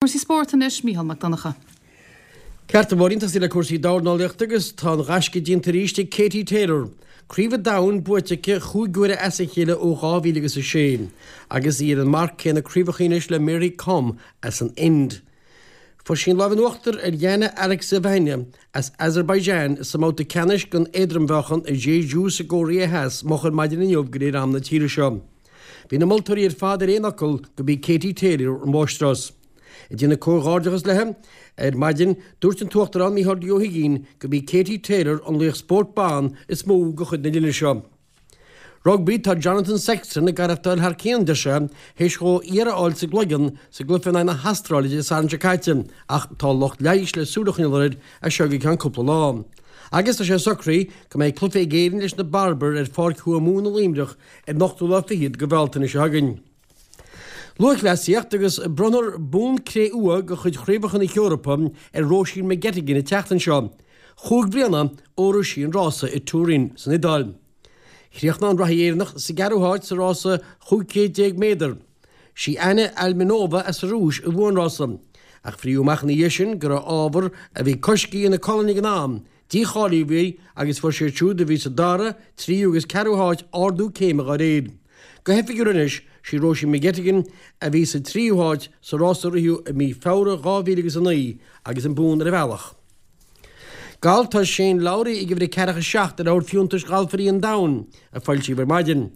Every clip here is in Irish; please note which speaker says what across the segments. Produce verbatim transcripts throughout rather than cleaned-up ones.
Speaker 1: Cúrsaí spóirt anois, Mícheál Mac Donncha.
Speaker 2: Ceart a Mháirín, tosaí le cúrsaí dornálaíochta agus tá an gaisce déanta arís ag Katie Taylor. Craobh an Domhain buaite aici chúig huaire as a chéile ó dhá mhíle agus a sé, agus í ar an marc céanna craobhacha anois le Mary Kom as an Ind. Fuair sí an lámh in uachtar ar Yana Alexeyevna as Azerbaijan sa mbabhta ceannais den éadrom-mheáchan i Jeju sa gCóiré Theas moch ar maidin inniu de réir am na tíre seo. Bhí na moltóirí ar fad ar aon fhocal go b'í Katie Taylor an mháistreás. Ag déanamh comhghairdeachas léi ar maidin, dúirt an tUachtarán Micheál D. Ó hUigínn go b'í Katie Taylor an laoch spóirt ban is mó de chuid na linne seo. Rugbaí, Tá Jonathan Sexton ag aireachtáil thar cionn, deir sé, théis dhó iarraidh a fháil sa gcloigeann sa gcluiche in aghaidh na hAstráile Dé Sathairn seo caite ach tá lucht leighis le súil a choinneáil air as seo go ceann cúpla lá. Agus tá sé socraithe go mbeidh cluiche ag Éirinn leis na Barbair ar Pháirc Thuamhumhan i Luimneach ar an ochtú lá fichead de Bhealtaine seo chugainn. Lúthchleasaíocht agus bronnfar bonn cré-umha de chuid Chraobhacha na hEorpa ar Róisín McGettigan an tseachtain seo, chúig bliana ó rith sí an rása i Turin san Iodáil. Chríochnaigh an reathaí Éireannach sa gceathrú háit sa rása chúig chéad déag méadar. Sí Anna Alminova as an Rúis a bhuaigh an rása, ach fríodh amach ina dhiaidh sin go raibh ábhar a bhí coiscthe ina colainn ag an am, Dícháilíodh í agus fuair siad siúd a bhí sa dara, tríú agus ceathrú háit ardú céime dá réir. Go hoifigiúil anois, sí Róisín McGettigan a bhí sa tríú háit sa rás a ritheadh i mí Feabhra dhá mhíle agus a naoi agus an bonn ar a bealach. Galf Tá Shane Lowry ag uimhir a ceathracha seacht ar leabhar fiúntais ghalfairí an domhain, a foilsíodh ar maidin.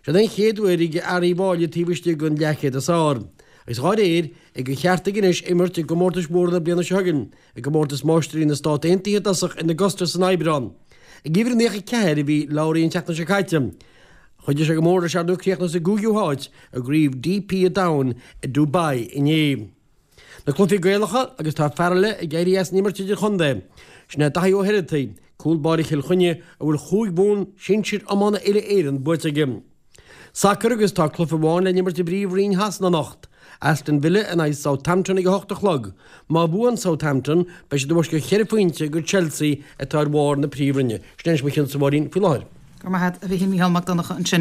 Speaker 2: Seo den chéad uair ag fear Uíbh Fhailí taobh istigh den leathchéad is fearr. Agus dhá réir, ag an cheart aige anois imirt i gcomórtais mhóra na bliana seo chugainn, i gcomórtas Máistirí na Stát Aontaithe i dtosach in Augusta san Aibreán. Ag uimhir a naocha ceathair a bhí Lowry an tseachtain seo caite. Chuidigh sé go mór leis ar ndóigh críochnú sa gcúigiú háit i gCraobh DP an Domhain i Dubai inné. Na cluichí Gaelacha agus tá fear eile ag éirí as an imirt idirchontae. Sin é Daithí Ó hEireartaigh, cúl báire Chill Chainnigh a bhfuil chúig bhonn sinsir iomána uile-Éireann buaite aige. Sacar agus tá cluiche amháin le n-imirt i bPríomh-Roinn Shasana anocht, Aston Villa in aghaidh Southampton ag a hocht a chlog. Má bhuann Southampton, beidh siad i bhfoisceacht cheithre phointe go Chelsea atá ar bharr na Príomhroinne. Sin anois mo chionn, a Mháirín, faoi láthair.
Speaker 1: Go raibh maith agat, a Mhíchíl. Mícheál Mac Donncha ansin.